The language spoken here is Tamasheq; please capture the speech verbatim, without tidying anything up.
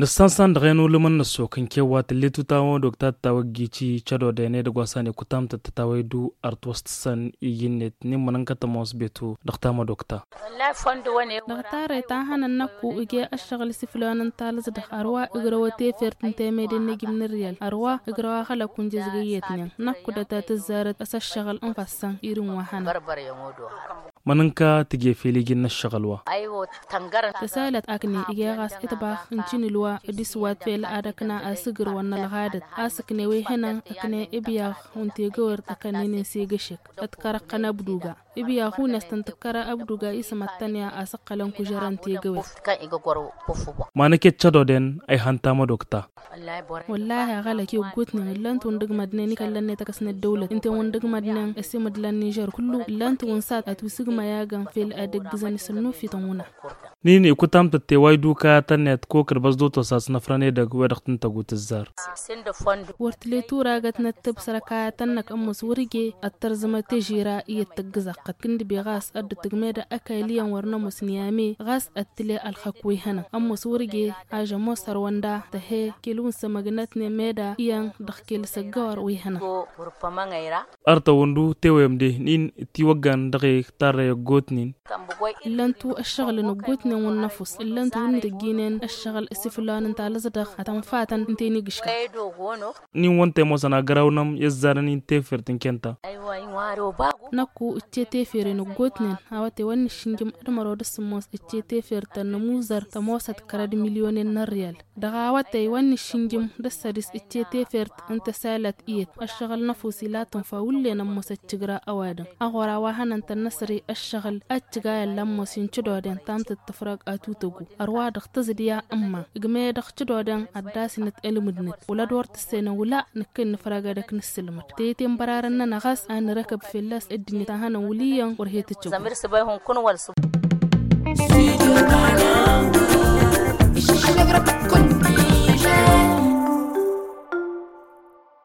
Nǝssan-san dăɣ-e n-ulǝmăn n-ăssok n-kewwa tǝllet utamădok ta tǝtawăggici cădoden edăgg wa s-han ikutamtăt tătawăydu ar t-wăstǝssăn iji-net n-immănăn kătămos betu dăɣ-tamădok ta. Dăɣ-tarrăy ta hănăn năkku ǝje ăššăɣǝl s-iflon n-talǝẓdăɣ ărwa ǝgrăwăt efert n-temede n-ejǝm n-ǝrriyăl ărwa ǝgrăw axălăk unjăzgăyetnen năkku dăt-a tǝzzarăt s-ăššăɣǝl n-ifassăn irin wa hănăn. Mănănka tǝje fel iji n-ăššăɣǝl wa. Tăsalăt akne ǝje ɣas itbax n-tinǝlwa d-iswat fel ad-ăkna asǝgǝr wa n-ălɣadăt a-s ǝkne wa ihănăn ǝkne ibyaɣ wa n-tegăwert ăkănnen n-segăšek ătkărăɣ-tăn abduga. Ibyaɣ hunăs tăn-tǝkkăra abduga isǝmăttăn i-a asǝqqălăn kužărăn tegăwert. Ma năkket cădoden a ihăn tamădok ta. Wăllahi aɣălăk i-ăggootnen ǝllăn-t wăn d-ǝgmădnen ikăllăn-net akăsnăt dăwlăt ǝnta i-wăn d-ǝgmădnen ăsimădlan nižer kullu ǝllăn-t wăn s-ad-tusǝgmăy agăn fel ad-ǝggǝzăn isǝnnufităn wǝna. Nini ikutamtăt tewaydu kayatăn-net kokăd băsdotosas n-afrăn edăgg wa dăɣ-tǝntăgut ǝzzar. Wăr tǝle turagăt n-ăttăb săr-ăkayatăn-năk ămmus wăr-ije ad-tărzǝmăt težira iyyăt tăggǝzaɣ-tăt kǝndǝbe ɣas ad-dd-tǝgmedăɣ ăkall iyyăn wăr nămoos n-iyame ɣas ad-tǝle ălxăk wa ihănăn ămmus wăr-ije. Ažămoos hărwăn da tăhe kil-wǝn sămăgnătnen meda iyyăn dăɣ-kil săggăwăr wa ihănăn. Ărtăwăn du tewăyăm de n-in dd-tiwăggan dăɣ-e tarrăy ăggootnen. Ǝllăn-tu ăššăɣǝlăn ăggootnen wǝnnăfus ǝllăn-tu wǝnnǝtăjjinen ăššăɣǝl s-iflon n-talǝẓdăɣ ad-tăn-fatăn ǝnta i-nǝgǝškăɣ. N-in wăn temosăn agărawnăm i-ăzzarăn-in tefert n-kenta. Năkku ǝcce teferen ăggootnen awătay wa n-nǝššǝnjǝm d-măro d-sǝmmos ǝcce tefert tănnămuzăr tămoosăt kăra d-milyonen n-ărriyal. Dăɣ-awătay wa n-nǝššǝnjǝm d-ăssădis ǝcce tefert n-tăsalăt iyyăt ăššăɣǝl n-ăfusi la tǝnfa wǝllen ămmos ăccǝgra ăwadǝm. Aɣora wa hănăn-tăn n-asăre ăššăɣǝl a ăccǝga i-ălla ămmos i-n-cădoden tamtăt tǝfrag atutăgu ărwa dăɣ-tăẓdǝya ǝmma ǝgmăyădăɣ cădoden ad-dd-asǝnăt ălmǝdnăt wăla d-wăr tǝssenăn wăla nǝkkăy nǝfrag ad-ăkk nǝssǝlmăd tete n-bărarăn-nănăɣ a-s a nǝrăkăb fell-as ăddinăt a hănăn wǝl' iyyăn wăr he-tǝcăw.